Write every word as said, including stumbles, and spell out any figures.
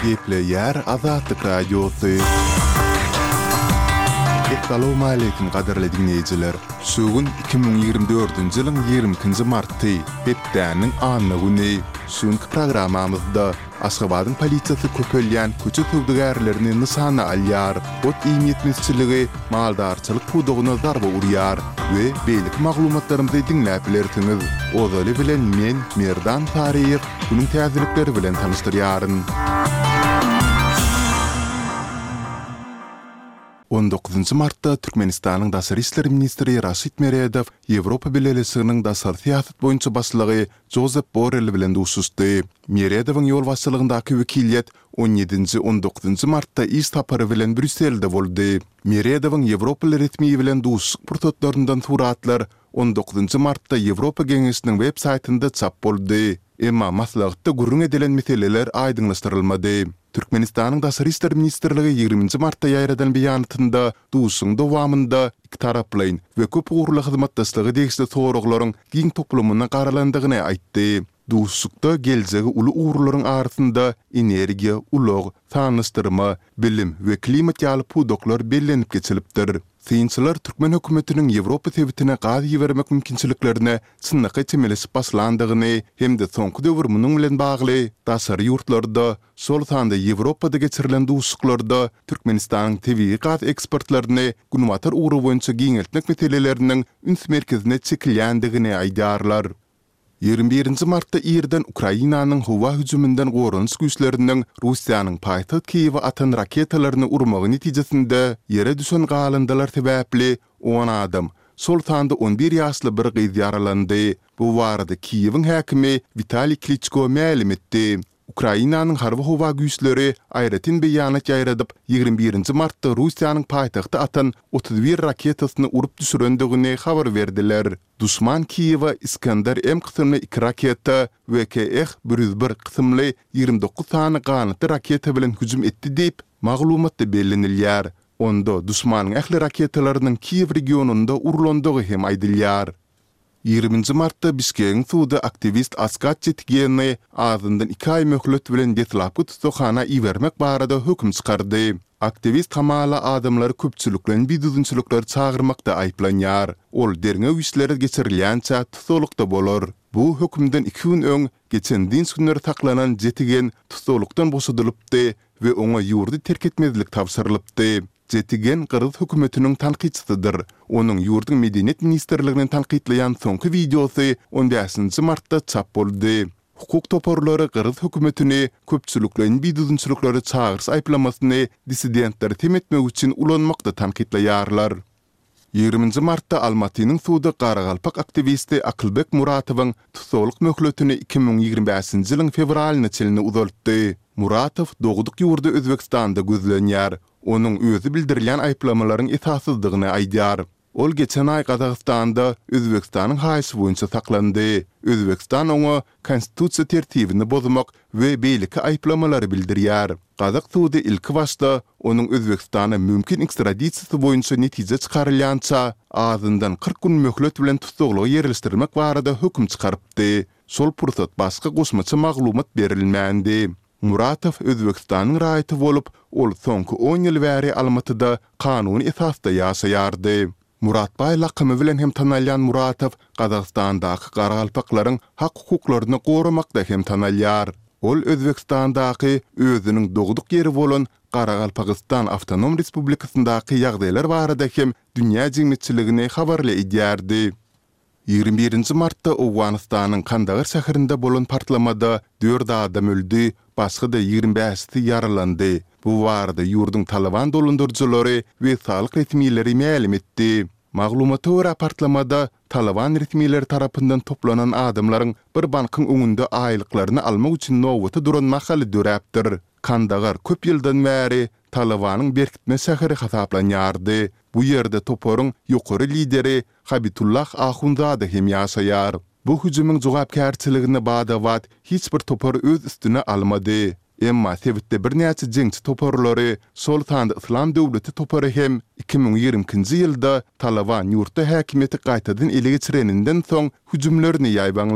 Gepleýär Azatlyk Radiosy. Essalawmaleýkim gadyrly diňleýjiler! Şu gün iki müň ýigrimi dördünji ýylyň ýigrimi ikinji marty, hepdäniň anna güni. Şu günki programmamyzda Aşgabadyň polisiýasy köpelýän köçe söwdagärlerini nyşana alýar, ot-iým ýetmezçiligi maldarçylyk pudagyna zarba urýar we beýleki maglumatlarymyzy diňläp bilersiňiz. Ozaly bilen men, Merdan Saryýew, günüň täzelikleri bilen tanyşdyrýaryn. On dokuzynjy martda Türkmenistanyň daşary işler ministri Raşid Meredow Ýewropa Bileleşiginiň daşary syýasat boýunça başlygy Jozep Borrell bilen duşuşdy. Meredowyň ýolbaşçylygyndaky wekiliýet on ýedinji, on dokuzynjy martda iş sapary bilen Brýusselde boldy. Meredowyň ýewropaly resmi bilen duşuşyk pursatlaryndan suratlar on dokuzynjy martda Ýewropa Geňeşiniň web saýtynda çap boldy. Emma maslahatda gürrüň edilen meseleler aýdyňlaşdyrylmady. Türkmenistanyň Daşary işler ministrligi ýigriminji martda ýaýradan beýanatynda duşuşygyň dowamynda ikitaraplaýyn we köp ugurly hyzmatdaşlyga degişli soraglaryň giň toplumyna garalandygyny aýtdy. Duşuşykda geljegi uly ugurlaryň arasynda energiýa, ulag, sanlaşdyrma, bilim we klimat ýaly pudaklar bellenip geçilipdir. Synçylar türkmen hökümetiniň Ýewropa sebitine gaz ibermek mümkinçiliklerine çynlakaý çemeleşip başlandygyny hem-de soňky döwür munuň bilen bagly daşary ýurtlarda, şol sanda Ýewropada geçirilen duşuşyklarda Türkmenistanyň tebigy gaz eksportlaryny günbatar ugry boýunça giňeltmek meseleleriniň üns merkezine çekilýändigini aýdýarlar. Ýigrimi birinji martda irden Ukrainanyň howa hüjüminden goranyş güýçleriniň Russiýanyň paýtagt Kiýewe atan raketalaryny urmagy netijesinde ýere düşen galyndylar sebäpli on adam, şol sanda on bir ýaşly bir gyz ýaralandy. Bu barada Kiýewiň häkimi Witaliý Kliçko mälim etdi. Ukrainanyň Harby-howa güýçleri aýratyn beýanat ýaýradyp, ýigrimi birinji martda Russiýanyň paýtagta atan otuz bir raketasyny urup düşürendigini habar berdiler. Duşman Kiýewe Iskender-M kysymly iki raketa we K-Eh bir ýüz bir kysymly ýigrimi dokuz sany ganatly raketa bilen hüjüm etdi diýip, maglumatda bellenilýär. Onda duşmanyň ähli raketalarynyň Kiýew regionynda urlandygy hem aýdylýar. Ýigriminji martda Bişkegiň sudy aktiwist Askat Çetigeni azyndan iki aý möhlet bilen deslapky tussaghana ibermek barada höküm çykardy. Aktiwist hamala adamlary köpçülikleýin bidüzgünçiliklere çagyrmakda aýyplanýar. Ol derňew işleri geçirilýänçä tussaglykda bolar. Bu hökümden iki gün öň, geçen dynç günleri saklanan Jetigen tussaglykdan boşadylypdy we oňa ýurdy terk etmezlik tabşyrylypdy. Jetigen gyrgyz hökümetiniň tankytçysydyr. Onuň ýurduň Medeniýet ministrligini tankytlaýan soňky wideosy on bäşinji martda çap boldy. Hukuk toparlary gyrgyz hökümetini köpçülikleýin bidüzgünçiliklere çagyryş aýyplamasyny dissidentleri sem etmek üçin ulanmakda tankytlaýarlar. Ýigriminji martda Almatynyň sudy garagalpak aktiwisti Akylbek Muratowyň tussaglyk möhletini iki müň ýigrimi bäşinji ýylyň fewralyna çenli uzaltdy. Muratow dogduk ýurdy Özbegistanda gözlenýär. Onuň özi bildirilýän aýyplamalaryň esassyzdygyny aýdýar. Ol geçen aý Gazagystanda Özbegistanyň haýyşy boýunça saklandy. Özbegistan oňa konstitusiýa tertibini bozmak we beýleki aýyplamalary bildirýär. Gazak sudy ilkibaşda onuň Özbegistana mümkin ekstradisiýasy boýunça netije çykarylýança, azyndan kyrk gün möhlet bilen tussaglyga ýerleşdirmek barada höküm çykarypdy. Şol pursat başga goşmaça maglumat berilmändi. Muratow Özbegistanyň raýaty bolup, ol soňky on ýyl bäri Almatyda kanuny esasda ýaşaýardy. Muratbaý lakamy bilen hem tanalýan Muratow Gazagystandaky garagalpaklaryň hak-hukuklaryny goramakda hem tanalýar. Ol Özbegistandaky özüniň dogduk ýeri bolan Garagalpagystan Awtonom Respublikasyndaky ýagdaýlar barada hem dünýä jemgyýetçiligini habarly edýärdi. Ýigrimi birinji martda Owganystanyň Kandagar şäherinde bolan partlamada dört adam öldi, başga-da ýigrimi bäşisi ýaralandy. Bu barada ýurduň Talyban dolandyryjylary we saglyk resmileri mälim etdi. Maglumata görä, partlamada Talyban resmileri tarapyndan toplanan adamlaryň bir bankyň öňünde aýlyklaryny almak üçin nobata duran mahaly döräpdir. Kandagar köp ýyldan bäri Talybanyň berkitme şäheri hasaplanýardy. Bu ýerde toparyň ýokary lideri Habitullah Ahunzada hem ýaşaýar. Bu hüjümiň jogapkärçiligini bada-bat hiç bir topar öz üstüne almady. Emma sebitde birnäçe jeňçi toparlary, şol sanda Yslam döwleti topary hem iki müň ýigrimi ikinji ýylda Talyban ýurtda häkimiýeti gaýtadan ele geçireninden soň hüjümlerini ýaýbaňlandyrdy.